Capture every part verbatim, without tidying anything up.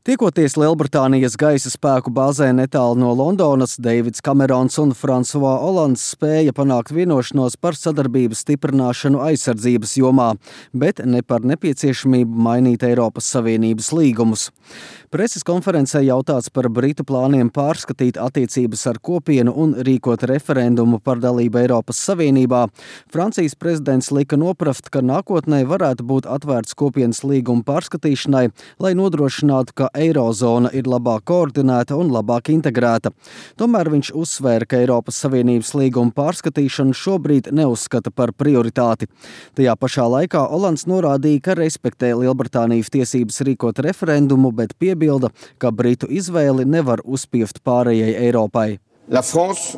Tiekoties Lielbritānijas gaisa spēku bāzē netālu no Londonas, Deivids Kamerons un Fransua Olands spēja panākt vienošanos par sadarbības stiprināšanu aizsardzības jomā, bet ne par nepieciešamību mainīt Eiropas Savienības līgumus. Preses konferencē jautāts par Britu plāniem pārskatīt attiecības ar kopienu un rīkot referendumu par dalību Eiropas Savienībā. Francijas prezidents lika noprast, ka nākotnē varētu būt atvērts kopienas līguma pārskatīšanai, lai nodrošinātu, ka Eirozona ir labāk koordinēta un labāk integrēta. Tomēr viņš uzsvēra, ka Eiropas Savienības līguma pārskatīšanu šobrīd neuzskata par prioritāti. Tajā pašā laikā Olands norādīja, ka respektē Lielbritānijas tiesības rīkot referendumu, bet piebilda, ka Britu izvēli nevar uzspiest pārējai Eiropai. La France,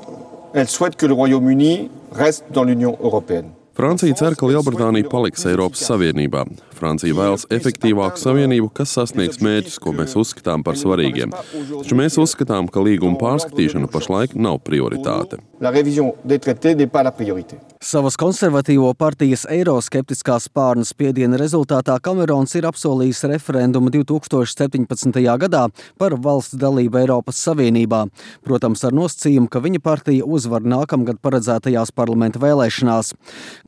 elle souhaite que le Royaume-Uni reste dans l'Union européenne. Francija cer, ka Lielbritānija paliks Eiropas Savienībā. Francija vēlas efektīvāku savienību, kas sasniegs mērķus, ko mēs uzskatām par svarīgiem. Taču mēs uzskatām, ka līguma pārskatīšana pašlaik nav prioritāte. Savas konservatīvo partijas eiroskeptiskā spārna spiediena rezultātā Kamerons ir apsolījis referendumu divi tūkstoši septiņpadsmitajā gadā par valsts dalību Eiropas Savienībā. Protams, ar nosacījumu, ka viņa partija uzvar nākamgad paredzētajās parlamenta vēlēšanās.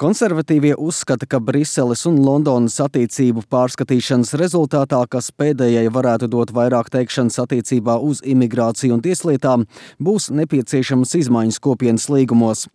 Konservatīvie uzskata, ka Briseles un Londonas attiecību pārskatīšanas rezultātā, kas pēdējai varētu dot vairāk teikšanas attiecībā uz imigrāciju un tieslietām, būs nepieciešamas izmaiņas kopienas līgumos.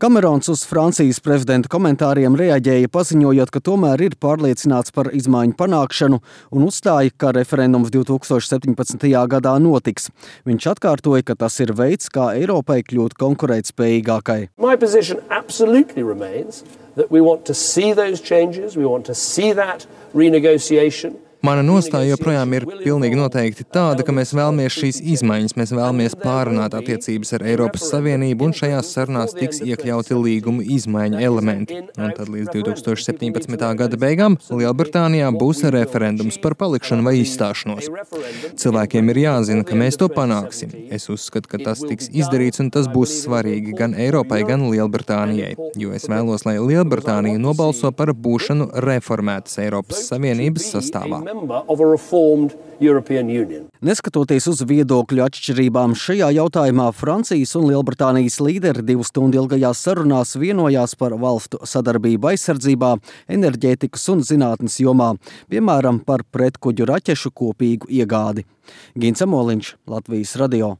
Kamerons uz Francijas prezidenta komentāriem reaģēja, paziņojot, ka tomēr ir pārliecināts par izmaiņu panākšanu un uzstāja, ka referendums divi tūkstoši septiņpadsmitajā gadā notiks. Viņš atkārtoja, ka tas ir veids, kā Eiropai kļūt konkurētspējīgākai. My position absolutely remains that we want to see those changes, we want to see that renegotiation. Mana nostāja joprojām ir pilnīgi noteikti tāda, ka mēs vēlamies šīs izmaiņas, mēs vēlamies pārunāt attiecības ar Eiropas Savienību, un šajās sarunās tiks iekļauti līgumu izmaiņu elementi. Un tad līdz divi tūkstoši septiņpadsmitā gada beigām Lielbritānijā būs referendums par palikšanu vai izstāšanos. Cilvēkiem ir jāzina, ka mēs to panāksim. Es uzskatu, ka tas tiks izdarīts, un tas būs svarīgi gan Eiropai, gan Lielbritānijai, jo es vēlos, lai Lielbritānija nobalso par būšanu reformētas Eiropas Savienības sastāvā. Neskatoties uz viedokļu atšķirībām šajā jautājumā, Francijas un Lielbritānijas līderi divu stundu ilgajās sarunās vienojās par valstu sadarbību aizsardzībā, enerģētikas un zinātnes jomā, piemēram, par pretkuģu raķešu kopīgu iegādi. Gins Amoliņš, Latvijas radio.